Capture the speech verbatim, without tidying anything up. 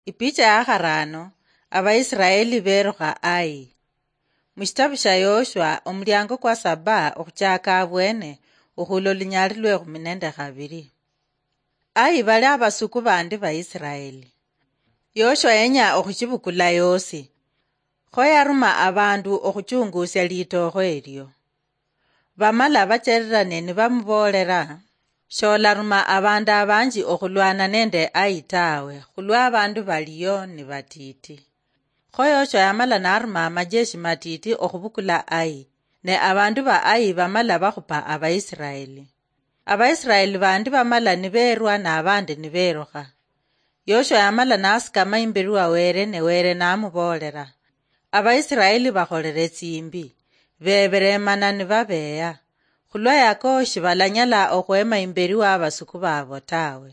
Ipicha ya kharano, Abaisiraeli berukha Ai. Mushitabu sha Yoshua, omulyango kwa saba okhuchaka abwene, okhula olunyali lwe khumi nende khabiri. Ai bali abasuku bandi ba Isiraeli. Yoshua yenya okhuchibukula yosi. Kho yaruma abandu okhuchungusia litookho elio. Bamala bachererane nibamuboolera, "Sholaruma abandu abanji okhulwana nende Ai tawe, khulwa abandu baliyo ni batiti." Kho Yoshua yamala naruma amajeshi matiti okhubukula Ai, ne abandu ba Ai bamala bakhupa Abaisiraeli. Abaisiraeli bandi bamala nibeerwa, nabandi nibeerukha. Yoshua yamala nasikama imberi wa Were, ne Were namuboolera. Abaisiraeli bakholere tsimbi, beberemana nibabeeya. Khulwa yako shibalanyala okhwema imberi wa abasuku babo tawe.